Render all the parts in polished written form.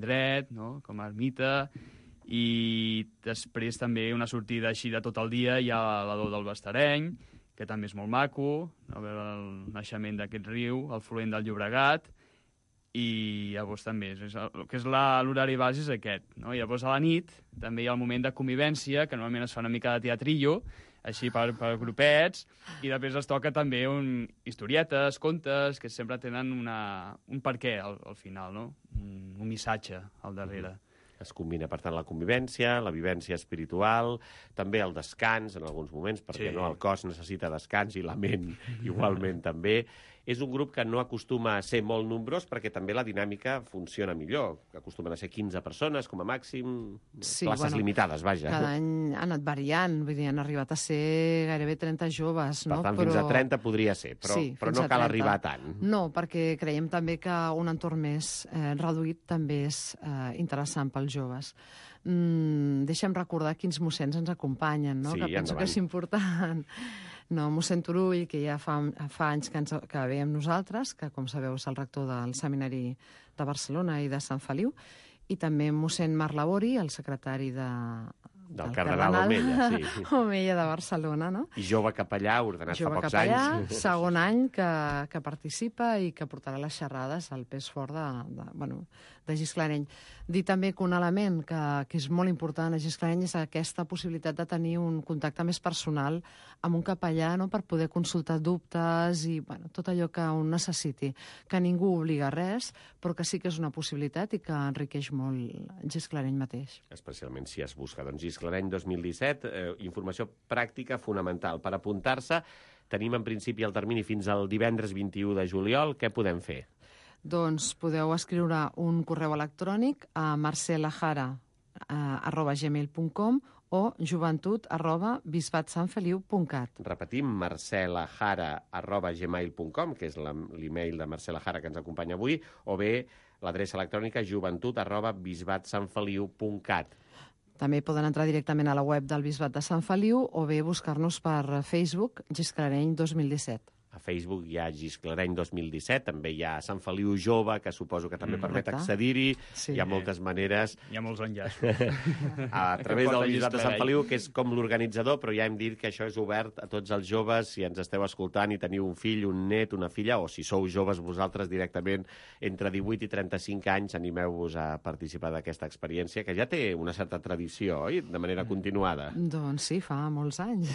Dret, no? Com a ermita, i després també una sortida així de tot el dia hi ha l'Ador del Bastareny, que també és molt maco, no? Veure el naixement d'aquest riu, el fluent del Llobregat, i llavors també el que és l'horari base és aquest, no? I llavors a la nit també hi ha el moment de convivència, que normalment es fa una mica de teatrillo, així per grupets, i després es toca també historietes, contes, que sempre tenen un perquè al final, no? Un missatge al darrere. Es combina, per tant, la convivència, la vivència espiritual, també el descans en alguns moments, perquè no, el cos necessita descans i la ment igualment també. És un grup que no acostuma a ser molt nombrós perquè també la dinàmica funciona millor. Acostumen a ser 15 persones com a màxim, places limitades, vaja. Cada any ha anat variant, vull dir, han arribat a ser gairebé 30 joves. Per tant, fins a 30 podria ser, però no cal arribar a tant. No, perquè creiem també que un entorn més reduït també és interessant pels joves. Deixem recordar quins mossens ens acompanyen, no? Sí, que penso que és important. No, mossèn Turull, que ja fa anys que ve amb nosaltres, que, com sabeu, és el rector del Seminari de Barcelona i de Sant Feliu, i també mossèn Marc Labori, el secretari del cardenal Omella, sí. Omella de Barcelona, no? I jove capellà, ordenat fa pocs capellà, anys. Segon any que participa i que portarà les xerrades al pes fort de Gisclareny. Dir també que un element que és molt important a Gisclareny és aquesta possibilitat de tenir un contacte més personal amb un capellà, no?, per poder consultar dubtes i tot allò que un necessiti. Que ningú obliga res, però que sí que és una possibilitat i que enriqueix molt Gisclareny mateix. Especialment si es busca. Doncs Gisclareny 2017, informació pràctica fonamental. Per apuntar-se, tenim en principi el termini fins al divendres 21 de juliol. Què podem fer? Doncs podeu escriure un correu electrònic a marcelajara@gmail.com o joventut@bisbatsanfeliu.cat. Repetim, marcelajara@gmail.com, que és l'email de Marcela Jara que ens acompanya avui, o bé l'adreça electrònica joventut@bisbatsanfeliu.cat. També poden entrar directament a la web del Bisbat de Sant Feliu o bé buscar-nos per Facebook, Gisclareny 2017. A Facebook hi ha Gisclareny 2017, també hi ha Sant Feliu Jove, que suposo que també permet accedir-hi. Sí. Hi ha moltes maneres. Hi ha molts enllaços. A través del Bisbat de Sant Feliu, que és com l'organitzador, però ja hem dit que això és obert a tots els joves. Si ens esteu escoltant i teniu un fill, un net, una filla, o si sou joves vosaltres directament entre 18 i 35 anys, animeu-vos a participar d'aquesta experiència, que ja té una certa tradició, oi?, de manera continuada. Doncs sí, fa molts anys.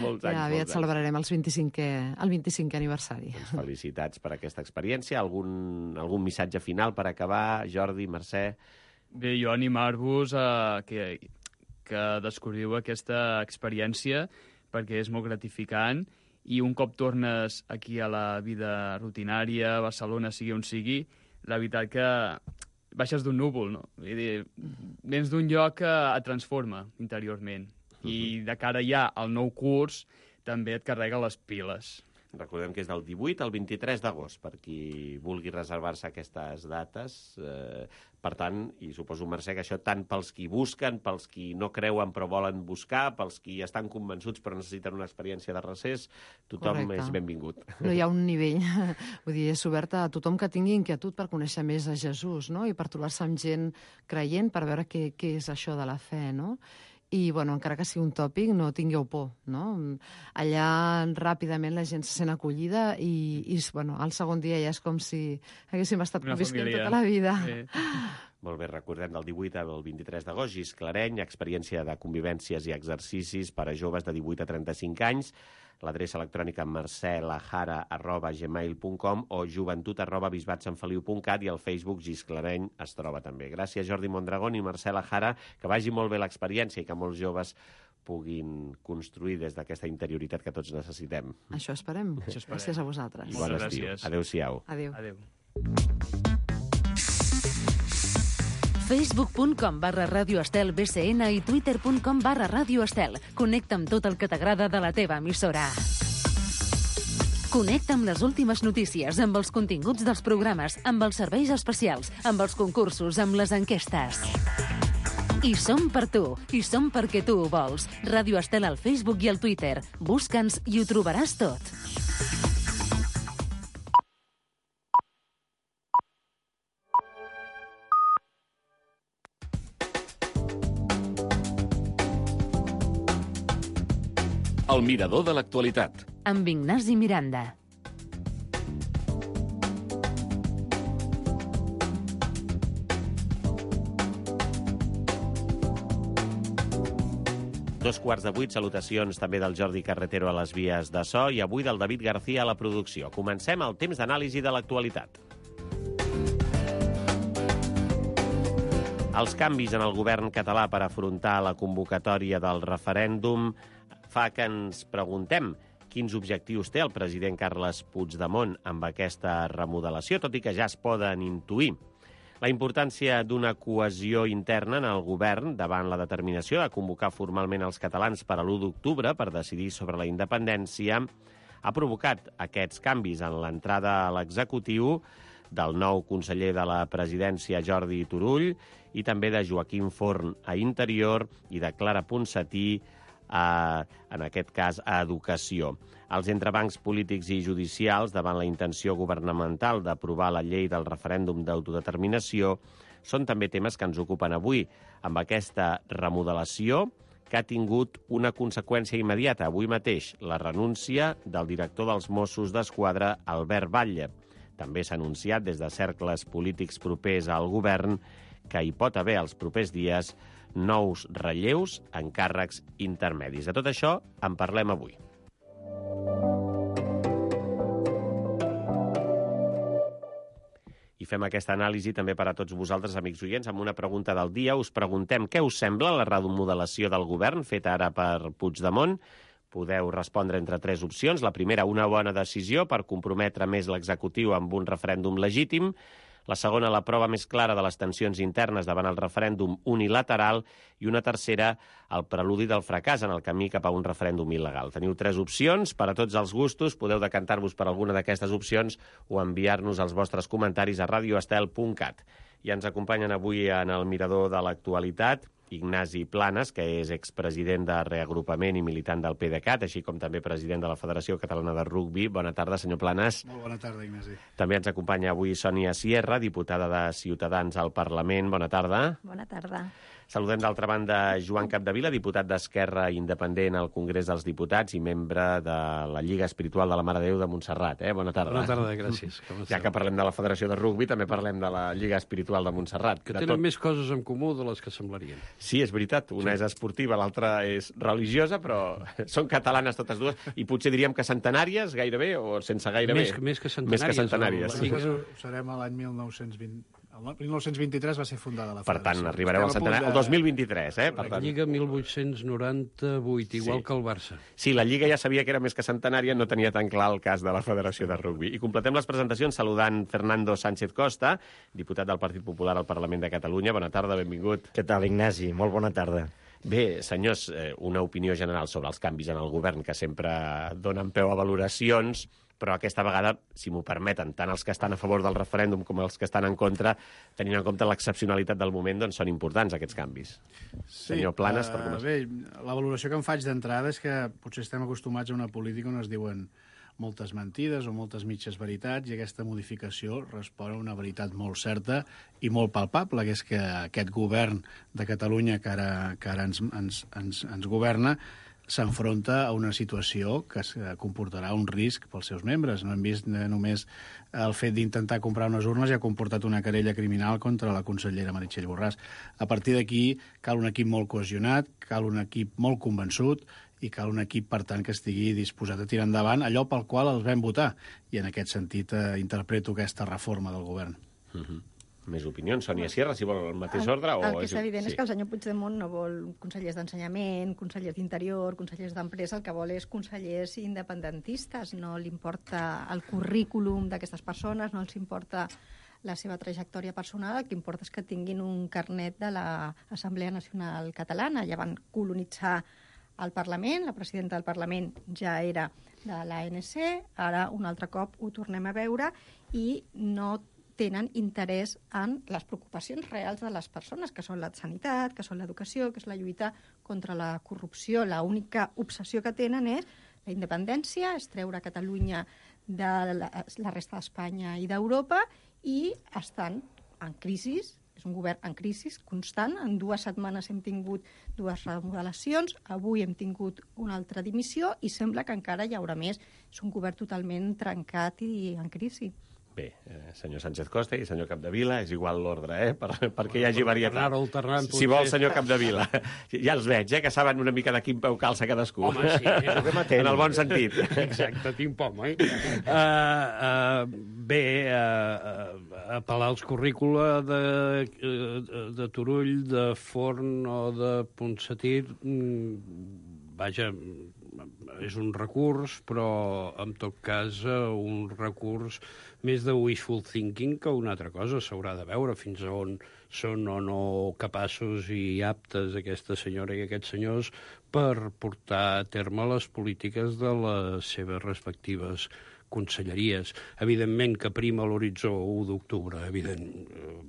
Molts anys. Ja aviat celebrarem el 25è aniversari. Doncs felicitats per aquesta experiència. Algun missatge final per acabar, Jordi, Mercè? Bé, jo animar-vos a que descobriu aquesta experiència perquè és molt gratificant i un cop tornes aquí a la vida rutinària, a Barcelona, sigui on sigui, la veritat que baixes d'un núvol, no? Vull dir, vens d'un lloc que et transforma interiorment i de cara ja al nou curs també et carrega les piles. Recordem que és del 18 al 23 d'agost, per qui vulgui reservar-se aquestes dates. Per tant, i suposo, Mercè, que això tant pels qui busquen, pels qui no creuen però volen buscar, pels qui estan convençuts però necessiten una experiència de recés, tothom és benvingut. No hi ha un nivell. Vull dir, és obert a tothom que tingui inquietud per conèixer més a Jesús, no?, i per trobar-se amb gent creient, per veure què és això de la fe, no?, i, bueno, encara que sigui un tòpic, no tingueu por, no? Allà ràpidament la gent se sent acollida i bueno, el segon dia ja és com si haguéssim estat convisquent tota la vida. Sí. Molt bé, recordem del 18 al 23 d'agost, Gisclareny, experiència de convivències i exercicis per a joves de 18 a 35 anys. L'adreça electrònica marcelajara@gmail.com o joventut@bisbatsanfeliu.cat i al Facebook Gisclareny es troba també. Gràcies, Jordi Mondragón i Marcela Jara. Que vagi molt bé l'experiència i que molts joves puguin construir des d'aquesta interioritat que tots necessitem. Això esperem. Gràcies a vosaltres. I bon estiu. Adéu-siau. Adéu. Facebook.com/Radio Estel BCN i Twitter.com/Radio Estel. Connecta amb tot el que t'agrada de la teva emissora. Connecta amb les últimes notícies, amb els continguts dels programes, amb els serveis especials, amb els concursos, amb les enquestes. I som per tu, i som perquè tu ho vols. Ràdio Estel al Facebook i al Twitter. Busca'ns i ho trobaràs tot. El mirador de l'actualitat. Amb Ignasi Miranda. Dos quarts de 8, salutacions també del Jordi Carretero a les vies de so i avui del David García a la producció. Comencem el temps d'anàlisi de l'actualitat. Els canvis en el govern català per afrontar la convocatòria del referèndum fa que ens preguntem quins objectius té el president Carles Puigdemont amb aquesta remodelació, tot i que ja es poden intuir. La importància d'una cohesió interna en el govern davant la determinació de convocar formalment els catalans per a l'1 d'octubre per decidir sobre la independència ha provocat aquests canvis en l'entrada a l'executiu del nou conseller de la presidència Jordi Turull i també de Joaquim Forn a Interior i de Clara Ponsatí en aquest cas a Educació. Els entrebancs polítics i judicials davant la intenció governamental d'aprovar la llei del referèndum d'autodeterminació són també temes que ens ocupen avui, amb aquesta remodelació que ha tingut una conseqüència immediata avui mateix, la renúncia del director dels Mossos d'Esquadra, Albert Batlle. També s'ha anunciat des de cercles polítics propers al govern que hi pot haver els propers dies nous relleus en càrrecs intermedis. De tot això en parlem avui. I fem aquesta anàlisi també per a tots vosaltres, amics oients, amb una pregunta del dia. Us preguntem què us sembla la remodelació del govern feta ara per Puigdemont. Podeu respondre entre 3 opcions. La primera, una bona decisió per comprometre més l'executiu amb un referèndum legítim. La segona, la prova més clara de les tensions internes davant el referèndum unilateral. I una tercera, el preludi del fracàs en el camí cap a un referèndum il·legal. Teniu 3 opcions per a tots els gustos. Podeu decantar-vos per alguna d'aquestes opcions o enviar-nos els vostres comentaris a radioestel.cat. I ens acompanyen avui en el mirador de l'actualitat Ignasi Planes, que és expresident de Reagrupament i militant del PDeCAT, així com també president de la Federació Catalana de Rugbi. Bona tarda, senyor Planes. Molt bona tarda, Ignasi. També ens acompanya avui Sònia Sierra, diputada de Ciutadans al Parlament. Bona tarda. Bona tarda. Saludem d'altra banda Joan Capdevila, diputat d'Esquerra Independent al Congrés dels Diputats i membre de la Lliga Espiritual de la Mare de Déu de Montserrat. Bona tarda. Bona tarda, gràcies. Ja que parlem de la Federació de Rugbi, també parlem de la Lliga Espiritual de Montserrat. Que tenen més coses en comú de les que semblarien. Sí, és veritat. Una és esportiva, l'altra és religiosa, però són catalanes totes dues i potser diríem que centenàries gairebé o sense gairebé. Més que centenàries. Nosaltres serem a l'any 1920. El 1923 va ser fundada la Per Federació. tant, arribareu al centenari el 2023, Per La tant. Lliga 1898, igual que el Barça. Sí, la Lliga ja sabia que era més que centenària, no tenia tan clar el cas de la Federació de Rugbi. I completem les presentacions saludant Fernando Sánchez Costa, diputat del Partit Popular al Parlament de Catalunya. Bona tarda, benvingut. Què tal, Ignasi? Molt bona tarda. Bé, senyors, una opinió general sobre els canvis en el govern que sempre donen peu a valoracions, però aquesta vegada, si m'ho permeten, tant els que estan a favor del referèndum com els que estan en contra, tenint en compte l'excepcionalitat del moment, doncs són importants aquests canvis. Sí, Senyor Planes, per començar. Bé, la valoració que em faig d'entrada és que potser estem acostumats a una política on es diuen moltes mentides o moltes mitges veritats i aquesta modificació respon a una veritat molt certa i molt palpable, que és que aquest govern de Catalunya que ara ens governa s'enfronta a una situació que comportarà un risc pels seus membres. No hem vist només el fet d'intentar comprar unes urnes i ha comportat una querella criminal contra la consellera Meritxell Borràs. A partir d'aquí cal un equip molt cohesionat, cal un equip molt convençut i cal un equip, per tant, que estigui disposat a tirar endavant allò pel qual els vam votar. I en aquest sentit interpreto aquesta reforma del govern. Més opinions. Sònia Sierra, si vol el mateix ordre? El que és evident és que el senyor Puigdemont no vol consellers d'ensenyament, consellers d'interior, consellers d'empresa, el que vol és consellers independentistes. No li importa el currículum d'aquestes persones, no els importa la seva trajectòria personal, el que importa és que tinguin un carnet de l'Assemblea Nacional Catalana. Ja van colonitzar el Parlament, la presidenta del Parlament ja era de l'ANC, ara un altre cop ho tornem a veure i no tenen interès en les preocupacions reals de les persones, que són la sanitat, que són l'educació, que és la lluita contra la corrupció. L'única obsessió que tenen és la independència, és treure Catalunya de la resta d'Espanya i d'Europa, i estan en crisi És un govern en crisi constant. En 2 setmanes hem tingut 2 remodelacions, avui hem tingut una altra dimissió i sembla que encara hi haurà més. És un govern totalment trencat i en crisi. Bé, senyor Sánchez Costa i senyor Capdevila, és igual l'ordre, perquè hi hagi varietat. Anar alternant, Si vol, senyor Capdevila. Ja els veig, que saben una mica de quin peu calça cadascú. Home, sí, és el que en el bon sentit. Exacte, tinc por, bé, apel·lar als currícula de Turull, de Forn o de Ponsatí, vaja, és un recurs, però en tot cas un recurs més de wishful thinking que una altra cosa. S'haurà de veure fins a on són o no capaços i aptes aquesta senyora i aquests senyors per portar a terme les polítiques de les seves respectives conselleries. Evidentment que prima l'horitzó 1 d'octubre,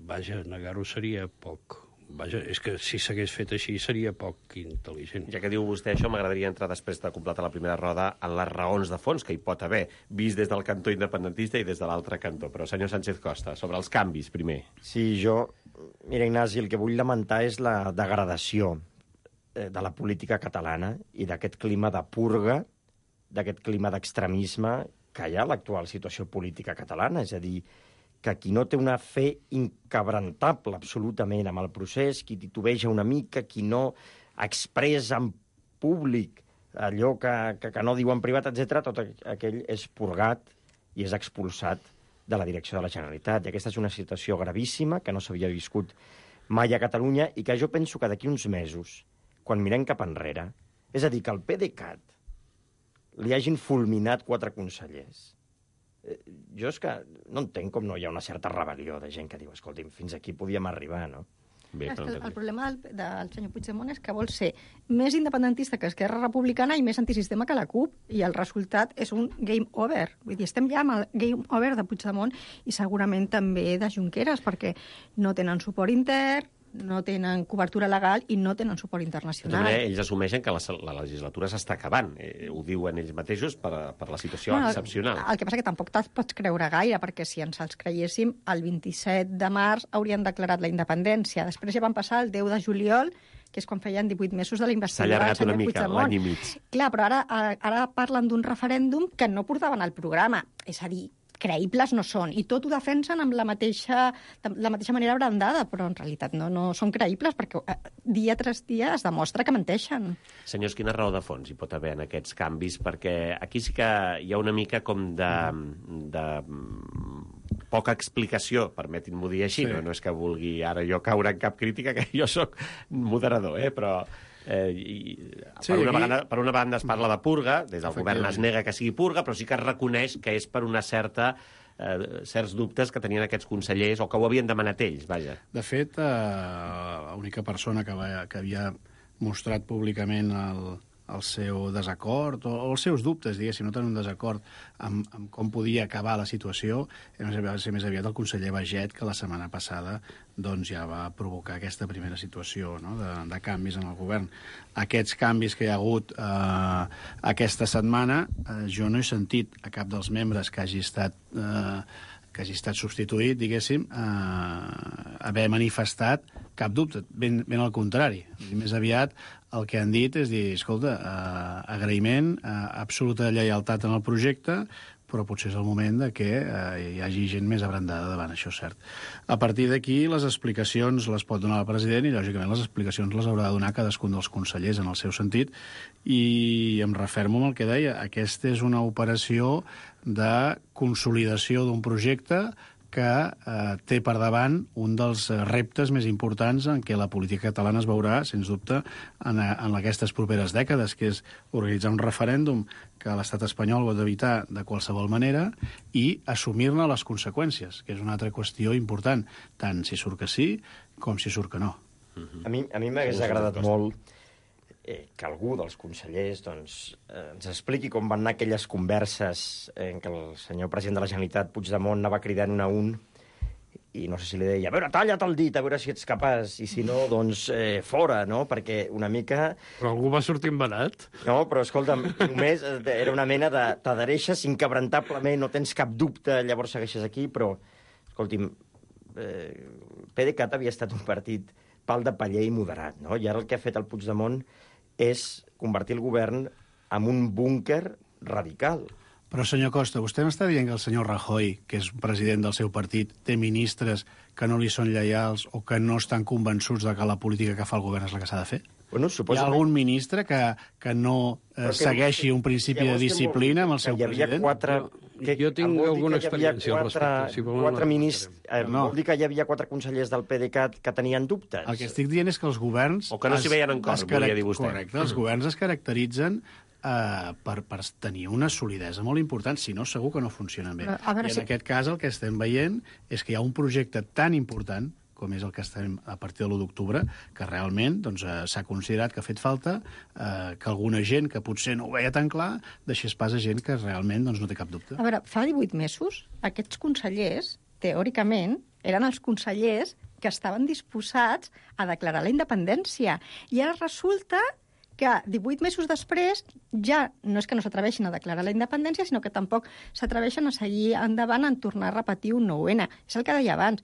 vaja, negar-ho seria poc. Vaja, és que si s'hagués fet així seria poc intel·ligent. Ja que diu vostè això, m'agradaria entrar després de completar la primera roda en les raons de fons que hi pot haver, vist des del cantó independentista i des de l'altre cantó. Però, senyor Sánchez Costa, sobre els canvis, primer. Sí, mira, Ignasi, el que vull lamentar és la degradació de la política catalana i d'aquest clima de purga, d'aquest clima d'extremisme que hi ha a l'actual situació política catalana. És a dir, que qui no té una fe inquebrantable absolutament amb el procés, qui titubeja una mica, qui no expressa en públic allò que no diu en privat, etc., tot aquell és purgat i és expulsat de la direcció de la Generalitat. I aquesta és una situació gravíssima que no s'havia viscut mai a Catalunya i que jo penso que d'aquí uns mesos, quan mirem cap enrere, és a dir, que al PDeCAT li hagin fulminat 4 consellers. Jo és que no entenc com no hi ha una certa rebel·lió de gent que diu, escolti'm, fins aquí podíem arribar, no? Bé, el problema del senyor Puigdemont és que vol ser més independentista que Esquerra Republicana i més antisistema que la CUP, i el resultat és un game over. Vull dir, estem ja amb el game over de Puigdemont i segurament també de Junqueras, perquè no tenen suport intern, no tenen cobertura legal i no tenen suport internacional. També ells assumeixen que la legislatura s'està acabant. Ho diuen ells mateixos per la situació excepcional. El que passa que tampoc te'ls pots creure gaire, perquè si ens els creiéssim, el 27 de març haurien declarat la independència. Després ja van passar el 10 de juliol, que és quan feien 18 mesos de la investidura. S'ha allargat una mica, l'any i mig. Clar, però ara parlen d'un referèndum que no portaven al programa. És a dir, creïbles no són, i tot ho defensen amb la mateixa manera abrandada, però en realitat no són creïbles, perquè dia tras dia es demostra que menteixen. Senyors, quina raó de fons hi pot haver en aquests canvis? Perquè aquí sí que hi ha una mica com de poca explicació, permetin-m'ho dir així, no és que vulgui ara jo caure en cap crítica, que jo sóc moderador, però... per una banda es parla de purga, des del govern es nega que sigui purga, però sí que es reconeix que és per una certs dubtes que tenien aquests consellers o que ho havien demanat ells, vaja. De fet, l'única persona que havia mostrat públicament el seu desacord o els seus dubtes, diguéssim, no tenir un desacord amb com podia acabar la situació, va ser més aviat el conseller Baiget, que la setmana passada doncs, ja va provocar aquesta primera situació, no?, de canvis en el govern. Aquests canvis que hi ha hagut aquesta setmana, jo no he sentit a cap dels membres que hagi estat substituït, diguéssim, haver manifestat cap dubte, ben al contrari. Més aviat el que han dit és dir, escolta, agraïment, absoluta lleialtat en el projecte, però potser és el moment de que hi hagi gent més abrandada davant, això és cert. A partir d'aquí, les explicacions les pot donar el president i, lògicament, les explicacions les haurà de donar cadascun dels consellers en el seu sentit, i em refermo amb el que deia, aquesta és una operació de consolidació d'un projecte que té per davant un dels reptes més importants en què la política catalana es veurà, sens dubte, en aquestes properes dècades, que és organitzar un referèndum que l'estat espanyol pot evitar de qualsevol manera i assumir-ne les conseqüències, que és una altra qüestió important, tant si surt que sí com si surt que no. A mi m'hagués agradat molt que algú dels consellers ens expliqui com van anar aquelles converses en què el senyor president de la Generalitat, Puigdemont, anava cridant un a un i no sé si li deia, a veure, talla't el dit, a veure si ets capaç, i si no, doncs fora, no? Perquè una mica... Però algú va sortir embenat? No, però escolta'm, només era una mena de t'adhereixes inquebrantablement, no tens cap dubte, llavors segueixes aquí, però, escolti'm, PDeCAT havia estat un partit pal de paller i moderat, no? I ara el que ha fet el Puigdemont és convertir el govern en un búnquer radical. Però, senyor Costa, vostè m'està dient que el senyor Rajoy, que és president del seu partit, té ministres que no li són lleials o que no estan convençuts de que la política que fa el govern és la que s'ha de fer? Bueno, Hi ha algun ministre que no segueixi un principi de disciplina amb el seu president? Jo tinc alguna experiència al respecte. Si Quatre ministres... Vol dir que hi havia 4 consellers del PDeCAT que tenien dubtes? El que estic dient és que els governs... O que no s'hi veien en cor, volia dir vostè. Correcte, els governs es caracteritzen per tenir una solidesa molt important, si no, segur que no funcionen bé. I en aquest cas el que estem veient és que hi ha un projecte tan important com és el que estem a partir de l'1 d'octubre, que realment s'ha considerat que ha fet falta que alguna gent que potser no ho veia tan clar deixés pas a gent que realment no té cap dubte. A veure, fa 18 mesos, aquests consellers, teòricament, eren els consellers que estaven disposats a declarar la independència. I ara resulta que 18 mesos després ja no és que no s'atreveixin a declarar la independència, sinó que tampoc s'atreveixen a seguir endavant en tornar a repetir un 9-N. És el que deia abans.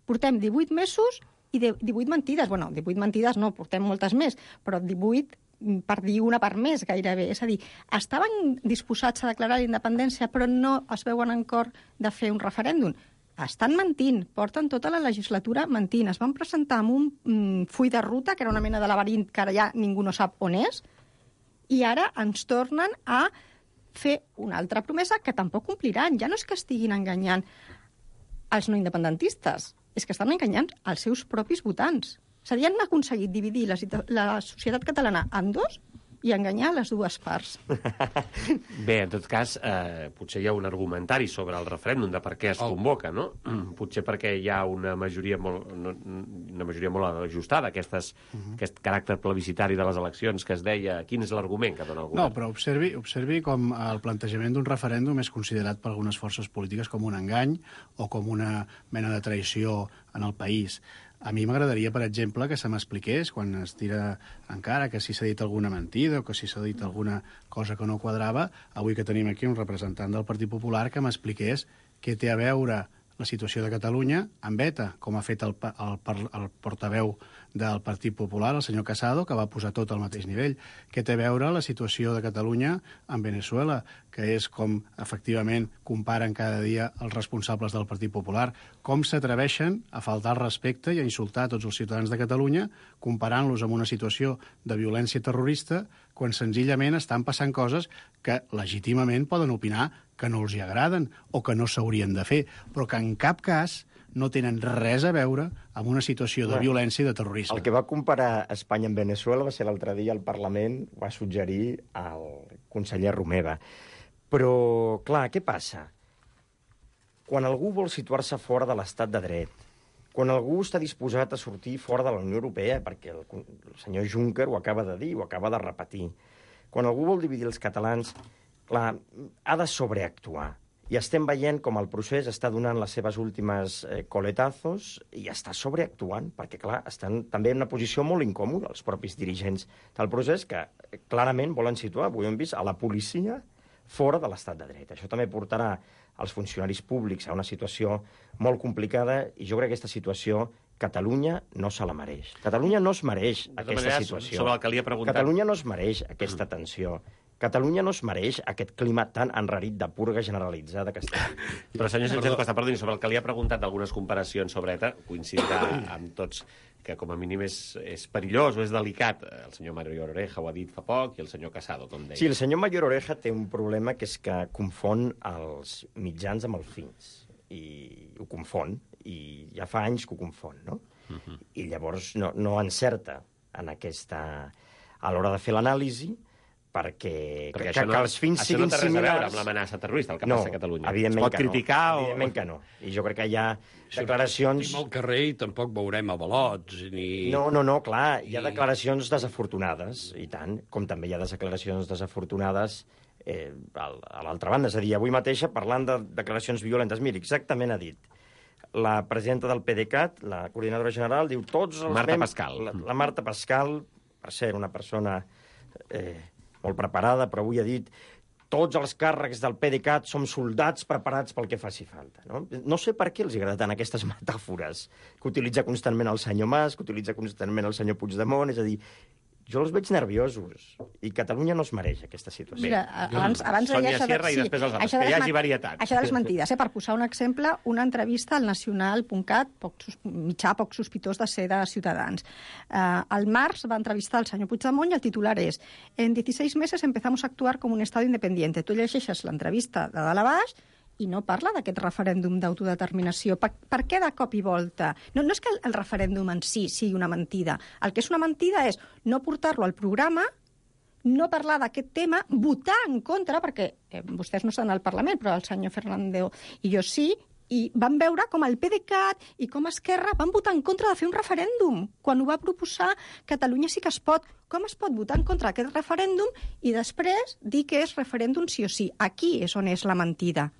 Portem 18 mesos i 18 mentides. Bueno, 18 mentides no, portem moltes més, però 18 per dir una part més gairebé. És a dir, estaven disposats a declarar la independència, però no es veuen en cor de fer un referèndum. Estan mentint, porten tota la legislatura mentint. Es van presentar amb un full de ruta, que era una mena de laberint que ara ja ningú no sap on és, i ara ens tornen a fer una altra promesa que tampoc compliran. Ja no és que estiguin enganyant els no independentistes, és que estan enganyant els seus propis votants. És a dir, han aconseguit dividir la societat catalana en dos i enganyar les dues parts. Bé, en tot cas, potser hi ha un argumentari sobre el referèndum de per què es convoca, no? Potser perquè hi ha una majoria molt ajustada, aquest caràcter plebiscitari de les eleccions que es deia... Quin és l'argument que dona el govern? No, però observi com el plantejament d'un referèndum és considerat per algunes forces polítiques com un engany o com una mena de traïció en el país. A mi m'agradaria, per exemple, que se m'expliqués, quan es tira encara que si s'ha dit alguna mentida o que si s'ha dit alguna cosa que no quadrava, avui que tenim aquí un representant del Partit Popular que m'expliqués què té a veure la situació de Catalunya amb ETA, com ha fet el portaveu del Partit Popular, el senyor Casado, que va posar tot al mateix nivell. Què té a veure la situació de Catalunya amb Venezuela, que és com, efectivament, comparen cada dia els responsables del Partit Popular, com s'atreveixen a faltar al respecte i a insultar tots els ciutadans de Catalunya, comparant-los amb una situació de violència terrorista, quan senzillament estan passant coses que legítimament poden opinar que no els hi agraden o que no s'haurien de fer, però que en cap cas no tenen res a veure amb una situació de violència i de terrorisme. El que va comparar Espanya amb Venezuela va ser l'altre dia al Parlament, va suggerir al conseller Romeva. Però, clar, què passa? Quan algú vol situar-se fora de l'estat de dret, quan algú està disposat a sortir fora de la Unió Europea, perquè el senyor Juncker ho acaba de dir, ho acaba de repetir, quan algú vol dividir els catalans, clar, ha de sobreactuar. I estem veient com el procés està donant les seves últimes coletazos i està sobreactuant, perquè, clar, estan també en una posició molt incòmoda els propis dirigents del procés que clarament volen situar, avui hem vist, a la policia fora de l'estat de dret. Això també portarà els funcionaris públics a una situació molt complicada i jo crec que aquesta situació Catalunya no se la mereix. Catalunya no es mereix aquesta situació. Sobre el que li he preguntat... Catalunya no es mereix aquesta tensió. Catalunya no es mereix aquest clima tan enrarit de purga generalitzada que està. Però, senyor Sánchez Costa, perdoni, sobre el que li ha preguntat d'algunes comparacions sobre ETA, coincidirà amb tots que com a mínim és perillós o és delicat. El senyor Mario Oreja ho ha dit fa poc i el senyor Casado, com deia. Sí, el senyor Mario Oreja té un problema que és que confon els mitjans amb els fins. I ho confon, i ja fa anys que ho confon, no? I llavors no encerta en aquesta... a l'hora de fer l'anàlisi, perquè els fins siguin similars... Això no té res a veure amb l'amenaça terrorista, el que passa a Catalunya. Es pot criticar o... Evidentment que no. I jo crec que hi ha declaracions... Sortim al carrer i tampoc veurem avalots ni... No, clar, hi ha declaracions desafortunades, i tant, com també hi ha declaracions desafortunades a l'altra banda. És a dir, avui mateixa, parlant de declaracions violentes, miri, exactament ha dit la presidenta del PDeCAT, la coordinadora general, diu tots els... Marta Pascal. La Marta Pascal, per ser una persona... molt preparada, però avui ha dit tots els càrrecs del PDeCAT som soldats preparats pel que faci falta. No sé per què els agrada tant aquestes metàfores que utilitza constantment el senyor Mas, que utilitza constantment el senyor Puigdemont, és a dir, jo els veig nerviosos, i Catalunya no es mereix aquesta situació. Mira, abans Sònia Sierra i després els altres, que hi hagi varietat. Això de les mentides, per posar un exemple, una entrevista al nacional.cat, mitjà poc sospitós de ser de Ciutadans. Al març va entrevistar el senyor Puigdemont i el titular és «En 16 meses empezamos a actuar como un Estado independiente». Tu llegeixes l'entrevista de dalt a baix i no parla d'aquest referèndum d'autodeterminació. Per què de cop i volta? No és que el referèndum en si sigui una mentida. El que és una mentida és no portar-lo al programa, no parlar d'aquest tema, votar en contra, perquè vostès no estan al Parlament, però el senyor Fernández i jo sí, i van veure com el PDeCAT i com Esquerra van votar en contra de fer un referèndum quan ho va proposar Catalunya sí que es pot. Com es pot votar en contra d'aquest referèndum i després dir que és referèndum sí o sí? Aquí és on és la mentida.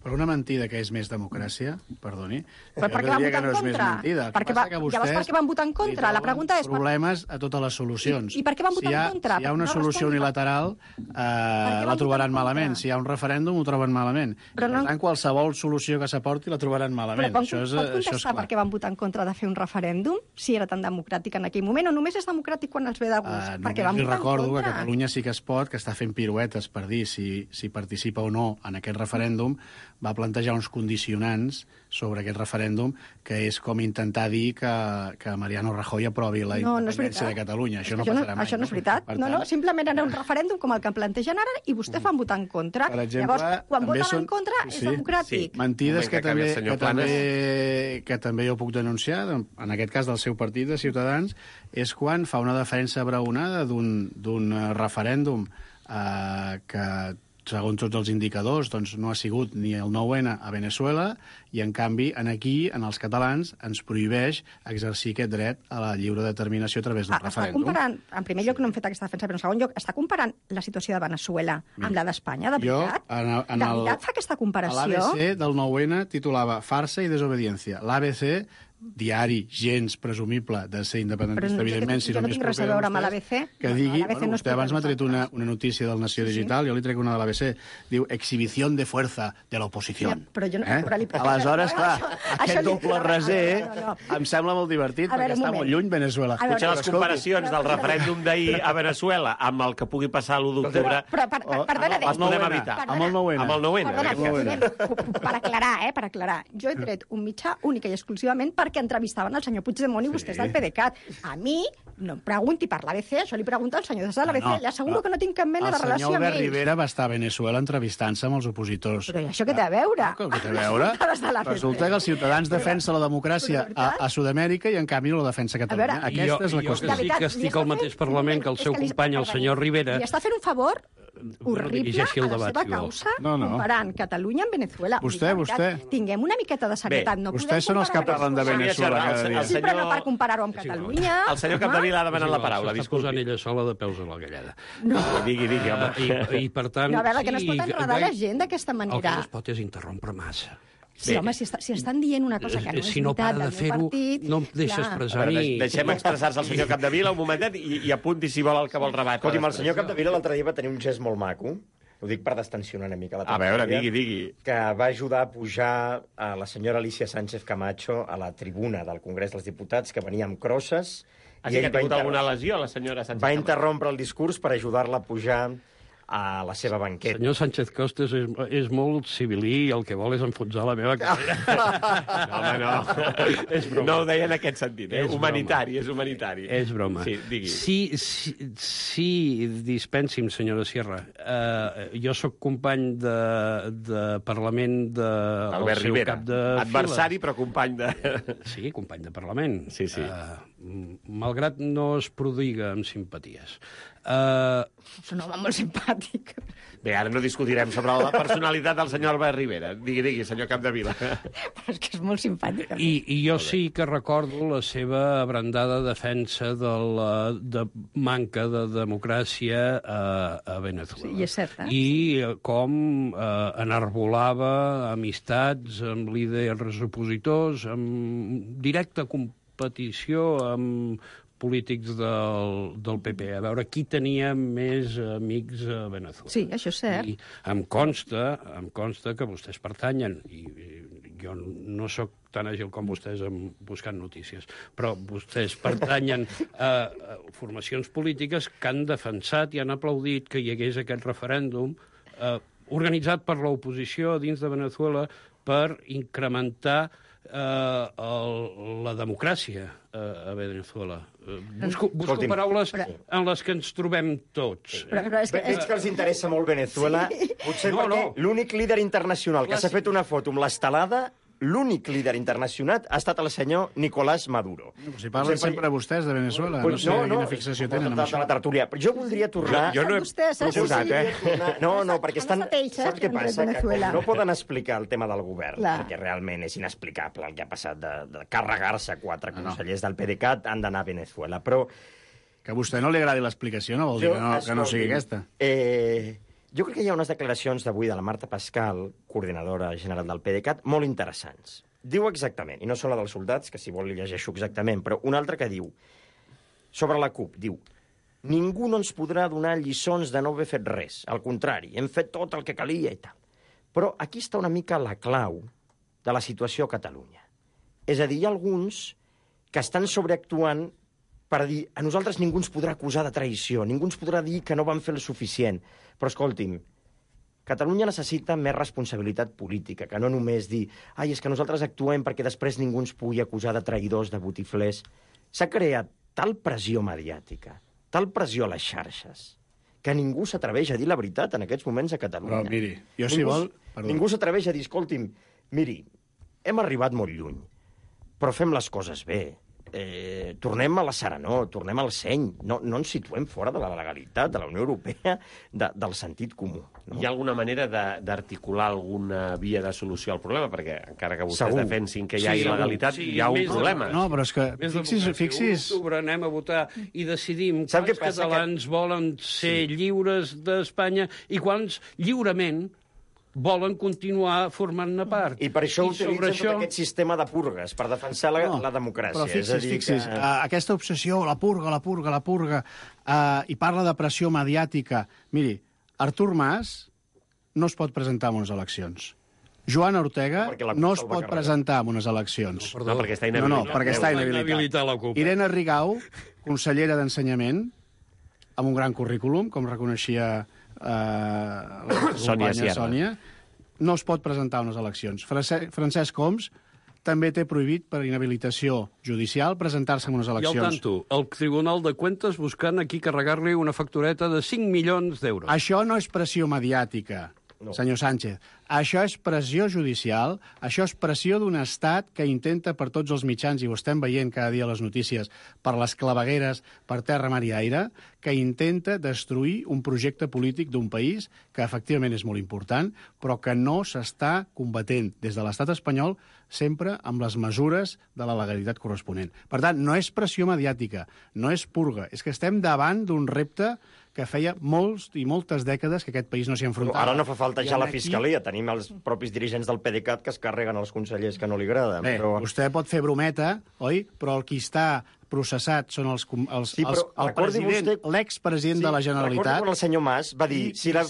Per una mentida que és més democràcia, perdoni, però per què van votar en contra? Llavors per què van votar en contra? La pregunta és... problemes a totes les solucions. I per què van votar en contra? Si hi ha una solució unilateral, la trobaran malament. Si hi ha un referèndum, ho troben malament. Per tant, qualsevol solució que s'aporti la trobaran malament. Però pot contestar per què van votar en contra de fer un referèndum, si era tan democràtic en aquell moment, o només és democràtic quan els ve de gust? Només li recordo que Catalunya sí que es pot, que està fent piruetes per dir si participa o no en aquest referèndum, va plantejar uns condicionants sobre aquest referèndum, que és com intentar dir que Mariano Rajoy aprovi la independència de Catalunya. Això no passarà mai. Això no és veritat. No, simplement era un referèndum com el que plantegen ara i vostès van votar en contra. Per exemple, llavors, quan voten en contra és democràtic. Sí. Mentides que també jo puc denunciar, en aquest cas del seu partit, de Ciutadans, és quan fa una defensa braonada d'un referèndum que segons tots els indicadors, doncs no ha sigut ni el 9-N a Venezuela, i en canvi, aquí, en els catalans, ens prohibeix exercir aquest dret a la lliure determinació a través d'un referèndum. En primer lloc, no hem fet aquesta defensa, però en segon lloc, està comparant la situació de Venezuela amb la d'Espanya, de veritat? De veritat fa aquesta comparació? L'ABC del 9-N titulava Farsa i desobediència. L'ABC, diari gens presumible de ser independentista, evidentment, si jo no tinc res a veure amb l'ABC. Que digui, vostè abans m'ha tret una notícia del Nació Digital, jo li trec una de l'ABC, diu exhibició de fuerza de l'oposició. Aleshores, clar, aquest doble raser em sembla molt divertit, perquè està molt lluny Venezuela. Potser les comparacions del referèndum d'ahir a Venezuela amb el que pugui passar l'1 d'octubre les podem evitar. Amb el 9-N. Per aclarar, jo he tret un mitjà únic i exclusivament perquè entrevistaven el senyor Puigdemont i vostès del PDeCAT. A mi, no em pregunti per l'ABC, això li pregunta al senyor de l'ABC. Li asseguro que no tinc cap mena de relació amb ells. El senyor Albert Rivera va estar a Venezuela entrevistant-se amb els opositors. Però això què té a veure? Què té a veure? Resulta que els ciutadans defensen la democràcia a Sud-amèrica i, en canvi, no la defensa a Catalunya. Aquesta és la qüestió. Jo que estic al mateix Parlament que el seu company, el senyor Rivera... Li està fent un favor horrible a la seva causa comparant Catalunya amb Venezuela. Vostè. Tinguem una miqueta de serietat. Vostès són els que parlen de Venezuela cada dia. Sí, però no per comparar-ho amb Catalunya. El senyor Capdevila ha demanat la paraula. Està posant ella sola de peus a la galleda. Digui, home. I per tant... No, a veure, que no es pot enredar la gent d'aquesta manera. El que no es pot és interrompre massa. Sí, home, si estan dient una cosa que no és si no veritat del meu partit... No em deixa expressar ni... Deixem expressar-se al senyor Capdevila un momentet i apunti si vol el que vol rebatre. Escolti'm, el senyor Capdevila l'altre dia va tenir un gest molt maco. Ho dic per destensionar una mica la tertúlia. A veure, digui. Que va ajudar a pujar a la senyora Alicia Sánchez Camacho a la tribuna del Congrés dels Diputats, que venia amb crosses. Així que ha tingut alguna lesió, la senyora Sánchez Camacho? Va interrompre el discurs per ajudar-la a pujar a la seva banqueta. Senyor Sánchez Costes és molt civilí i el que vol és enfonsar la meva carrera. No, home, no. No ho deia en aquest sentit. És humanitari. És broma. Sí, digui. Sí, dispensi'm, senyora Sierra. Jo sóc company de Parlament del seu Rivera. cap de files. Adversari, però company de... Sí, company de Parlament. Sí. Malgrat no es prodiga amb simpaties. És un home molt simpàtic. Bé, ara no discutirem sobre la personalitat del senyor Albert Rivera. Digui, senyor Capdevila. Però és que és molt simpàtic. I jo sí que recordo la seva abrandada defensa de manca de democràcia a Venezuela. Sí, és cert, I com enarbolava amistats amb líders opositors, amb directa competició amb polítics del PP, a veure qui tenia més amics a Venezuela. Sí, això és cert. I em consta que vostès pertanyen, i jo no sóc tan àgil com vostès buscant notícies, però vostès pertanyen a formacions polítiques que han defensat i han aplaudit que hi hagués aquest referèndum organitzat per l'oposició dins de Venezuela per incrementar la democràcia a Venezuela. Busco paraules en les que ens trobem tots. Veig que els interessa molt Venezuela. Potser perquè l'únic líder internacional que s'ha fet una foto amb l'estelada, l'únic líder internacional ha estat el senyor Nicolás Maduro. Si parlen sempre vostès de Venezuela, no sé quina fixació tenen amb això. La tertúlia. Però jo voldria tornar... Jo no he proposat, No, perquè estan... Saps què passa? Que com no poden explicar el tema del govern, perquè realment és inexplicable el que ha passat de carregar-se 4 consellers del PDeCAT, han d'anar a Venezuela. Però... Que a vostè no li agradi l'explicació no vol dir que no sigui aquesta. Jo crec que hi ha unes declaracions d'avui de la Marta Pascal, coordinadora general del PDeCAT, molt interessants. Diu exactament, i no són la dels soldats, que si vol li llegeixo exactament, però una altra que diu, sobre la CUP, diu: ningú no ens podrà donar lliçons de no haver fet res. Al contrari, hem fet tot el que calia i tal. Però aquí està una mica la clau de la situació a Catalunya. És a dir, hi ha alguns que estan sobreactuant per dir, a nosaltres ningú ens podrà acusar de traïció, ningú ens podrà dir que no vam fer el suficient. Però escolti'm, Catalunya necessita més responsabilitat política, que no només dir, ai, és que nosaltres actuem perquè després ningú ens pugui acusar de traïdors, de botiflers. S'ha creat tal pressió mediàtica, tal pressió a les xarxes, que ningú s'atreveix a dir la veritat en aquests moments a Catalunya. Però, miri, jo si vol... Ningú s'atreveix a dir, escolti'm, miri, hem arribat molt lluny, però fem les coses bé. Tornem a la serenor, tornem al seny. No ens situem fora de la legalitat, de la Unió Europea, del sentit comú. No? Hi ha alguna manera d'articular alguna via de solució al problema? Perquè encara que vostès defensin que hi ha il·legalitat, hi ha un problema. No, però és que fixis... Anem a votar i decidim quants catalans volen ser lliures d'Espanya i quants lliurement volen continuar formant-ne part. I per això utilitzen tot aquest sistema de purgues, per defensar la democràcia. Però fixis, aquesta obsessió, la purga, i parla de pressió mediàtica. Miri, Artur Mas no es pot presentar en unes eleccions. Joan Ortega no es pot presentar en unes eleccions. No, perquè està inhabilitat. No, perquè està inhabilitat. Irene Rigau, consellera d'Ensenyament, amb un gran currículum, com reconeixia la Sònia, no es pot presentar a unes eleccions. Francesc Homs també té prohibit per inhabilitació judicial presentar-se en unes eleccions. I al tanto, el Tribunal de Cuentas buscant aquí carregar-li una factureta de 5 milions d'euros. Això no és pressió mediàtica, senyor Sánchez. Això és pressió judicial, això és pressió d'un estat que intenta per tots els mitjans, i ho estem veient cada dia a les notícies, per les clavegueres, per terra, mar i aire, que intenta destruir un projecte polític d'un país que efectivament és molt important, però que no s'està combatent des de l'estat espanyol sempre amb les mesures de la legalitat corresponent. Per tant, no és pressió mediàtica, no és purga, és que estem davant d'un repte que feia molts i moltes dècades que aquest país no s'hi enfrontava. Ara no fa falta ja la Fiscalia, tenim els propis dirigents del PDeCAT que es carreguen els consellers que no li agraden. Bé, vostè pot fer brometa, oi? Però el qui està processat són el president, l'expresident de la Generalitat. Recordi quan el senyor Mas va dir, si la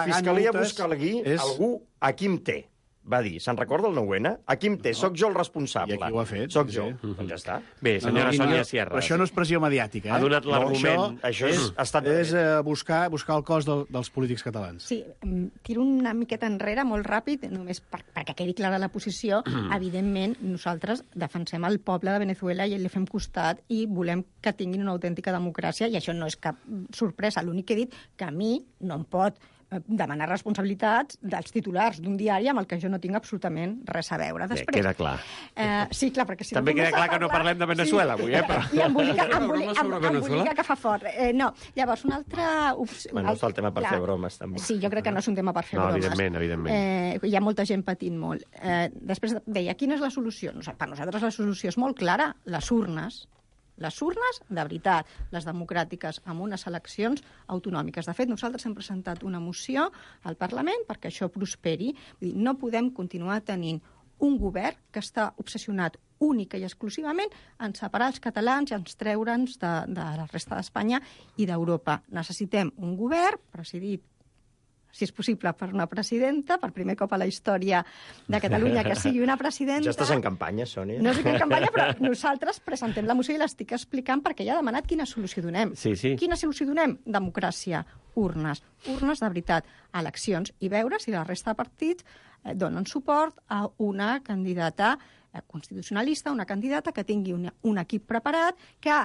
Fiscalia busca algú, a qui em té? Va dir, se'n recorda el 9-N? Aquí em té, soc jo el responsable. I aquí ho ha fet. Soc jo. Doncs ja està. Bé, senyora Sònia Sierra. Però això no és pressió mediàtica, Ha donat l'argument. Això és buscar el cos dels polítics catalans. Sí, tiro una miqueta enrere, molt ràpid, només perquè quedi clara la posició. Evidentment, nosaltres defensem el poble de Venezuela i li fem costat i volem que tinguin una autèntica democràcia, i això no és cap sorpresa. L'únic que he dit que a mi no em pot demanar responsabilitats dels titulars d'un diari amb el que jo no tinc absolutament res a veure. Després, queda clar. Sí, clar, perquè si també queda clar que no parlem de Venezuela avui, però... I embolica que fa fort. No, llavors, una altra... Bueno, és el tema per fer bromes, també. Sí, jo crec que no és un tema per fer bromes. Evidentment. Hi ha molta gent patint molt. Després deia, quina és la solució? Per nosaltres la solució és molt clara. Les urnes, de veritat, les democràtiques, amb unes eleccions autonòmiques. De fet, nosaltres hem presentat una moció al Parlament perquè això prosperi. Vull dir, no podem continuar tenint un govern que està obsessionat única i exclusivament en separar els catalans i en treure'ns de la resta d'Espanya i d'Europa. Necessitem un govern presidit, si és possible, per una presidenta, per primer cop a la història de Catalunya, que sigui una presidenta... Ja estàs en campanya, Sònia. No estic en campanya, però nosaltres presentem la moció i l'estic explicant perquè ja ha demanat quina solució donem. Sí, sí. Quina solució donem? Democràcia, urnes de veritat, eleccions, i veure si la resta de partits donen suport a una candidata constitucionalista, una candidata que tingui un equip preparat, que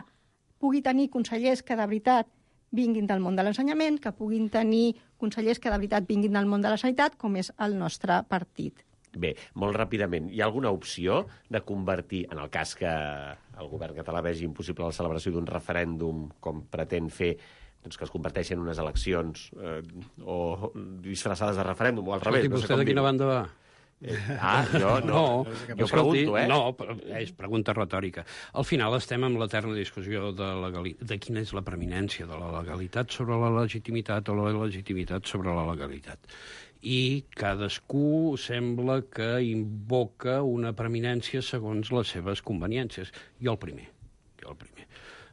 pugui tenir consellers que de veritat vinguin del món de l'ensenyament, que puguin tenir consellers que de veritat vinguin del món de la sanitat, com és el nostre partit. Bé, molt ràpidament, hi ha alguna opció de convertir, en el cas que el govern català vegi impossible la celebració d'un referèndum com pretén fer, doncs que es converteixin en unes eleccions o disfressades de referèndum, o al revés. Escolti, vostè de quina banda va? Jo no. Jo pregunto, No, és pregunta retòrica. Al final estem amb l'eterna discussió de quina és la preeminència de la legalitat sobre la legitimitat o la legitimitat sobre la legalitat. I cadascú sembla que invoca una preeminència segons les seves conveniències. Jo el primer.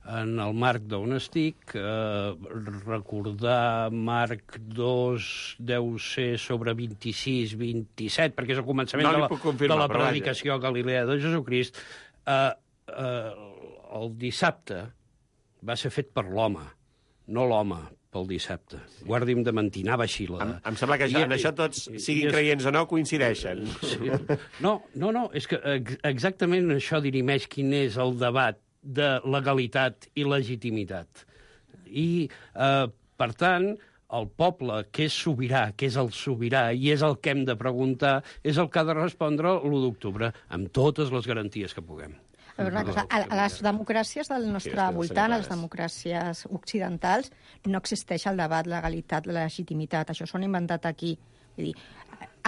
En el marc d'on estic, recordar marc 2 deu ser sobre 26, 27, perquè és el començament de la predicació a Galilea de Jesucrist. El dissabte va ser fet per l'home, no l'home pel dissabte. Guardi'm de mentir, anava així. Em sembla que en això tots, siguin creients o no, coincideixen. No, és que exactament això dirimeix quin és el debat de legalitat i legitimitat. I, per tant, el poble, que és sobirà, que és el sobirà, i és el que hem de preguntar, és el que ha de respondre l'1 d'octubre, amb totes les garanties que puguem. A veure, una cosa, a les democràcies del nostre voltant, a les democràcies occidentals, no existeix el debat legalitat-legitimitat. Això s'ho han inventat aquí. Vull dir,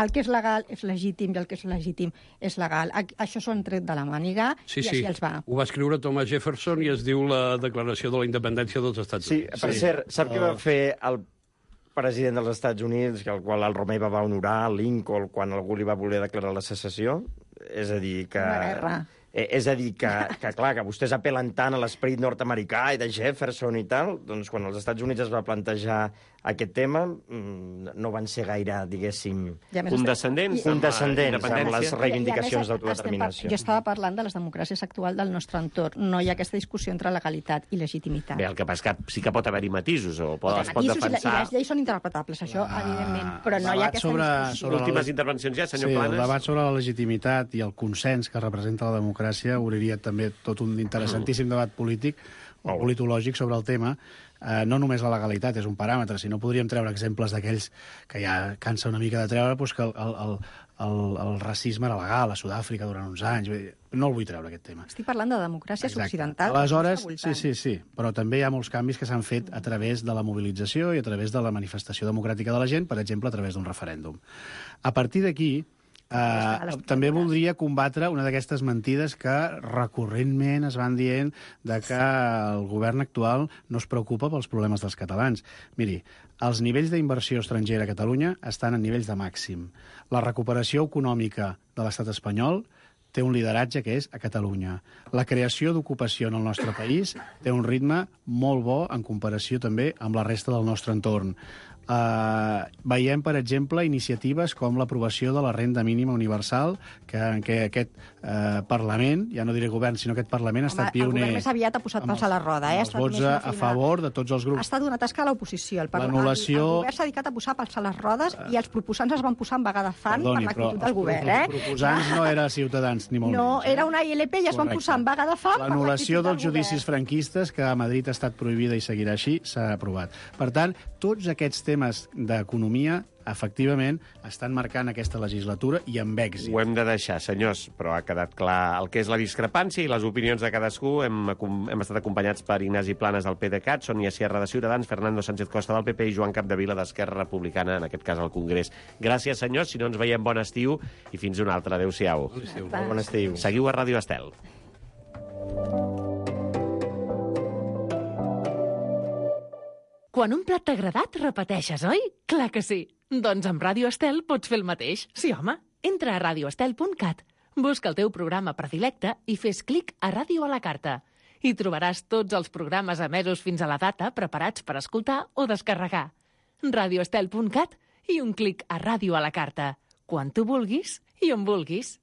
el que és legal és legítim i el que és legítim és legal. Això s'ho han tret de la màniga i així els va. Ho va escriure Thomas Jefferson i es diu la Declaració de la Independència dels Estats Units. Sí, per cert, sap què va fer el president dels Estats Units, que el qual el Romer va honorar, Lincoln, quan algú li va voler declarar la secessió? És a dir, que... Una guerra. És a dir, clar, que vostès apel·len tant a l'esperit nord-americà i de Jefferson i tal, doncs quan els Estats Units es va plantejar aquest tema, no van ser gaire, diguéssim... Condescendents amb les reivindicacions d'autodeterminació. Jo estava parlant de les democràcies actuals del nostre entorn. No hi ha aquesta discussió entre legalitat i legitimitat. Bé, el que passa que sí que pot haver-hi matisos, o es pot defensar... I les lleis són interpretables, això, evidentment, però no hi ha aquesta discussió. Últimes intervencions ja, senyor Planes. El debat sobre la legitimitat i el consens que representa la democràcia obriria també tot un interessantíssim debat polític o politològic sobre el tema. No només la legalitat és un paràmetre, sinó podríem treure exemples d'aquells que ja cansa una mica de treure, doncs que el racisme era legal a Sud-àfrica durant uns anys. No el vull treure, aquest tema. Estic parlant de democràcies occidentals. Aleshores, sí, però també hi ha molts canvis que s'han fet a través de la mobilització i a través de la manifestació democràtica de la gent, per exemple, a través d'un referèndum. A partir d'aquí, també voldria combatre una d'aquestes mentides que recurrentment es van dient de que el govern actual no es preocupa pels problemes dels catalans. Miri, els nivells d'inversió estrangera a Catalunya estan en nivells de màxim. La recuperació econòmica de l'estat espanyol té un lideratge que és a Catalunya. La creació d'ocupació en el nostre país té un ritme molt bo en comparació també amb la resta del nostre entorn. Veiem, per exemple, iniciatives com l'aprovació de la renda mínima universal, en què aquest Parlament, ja no diré govern, sinó aquest Parlament ha estat pioner. El govern més aviat ha posat pals a la roda. Els vots a favor de tots els grups. Ha estat una tasca a l'oposició. El govern s'ha dedicat a posar pals a les rodes i els proposants es van posar en vaga de fang per l'actitud del govern. Els proposants no eren Ciutadans, ni molt menys. No, era una ILP i es van posar en vaga de fang per l'actitud del govern. L'anul·lació dels judicis franquistes, que a Madrid ha estat prohibida i seguirà així, s'ha aprovat. Per tant, tots aquests temes d'economia, efectivament, estan marcant aquesta legislatura i amb èxit. Ho hem de deixar, senyors, però ha quedat clar el que és la discrepància i les opinions de cadascú. Hem estat acompanyats per Ignasi Planes del PDeCAT, Sònia Sierra de Ciutadans, Fernando Sánchez Costa del PP i Joan Capdevila d'Esquerra Republicana, en aquest cas al Congrés. Gràcies, senyors, si no ens veiem, bon estiu i fins un altre. Adéu-siau. Bon estiu. Seguiu a Ràdio Estel. Quan un plat t'ha agradat, repeteixes, oi? Clar que sí. Doncs amb Ràdio Estel pots fer el mateix. Sí, home. Entra a radioestel.cat, busca el teu programa predilecte i fes clic a Ràdio a la carta. Hi trobaràs tots els programes emesos fins a la data preparats per escoltar o descarregar. radioestel.cat i un clic a Ràdio a la carta. Quan tu vulguis i on vulguis.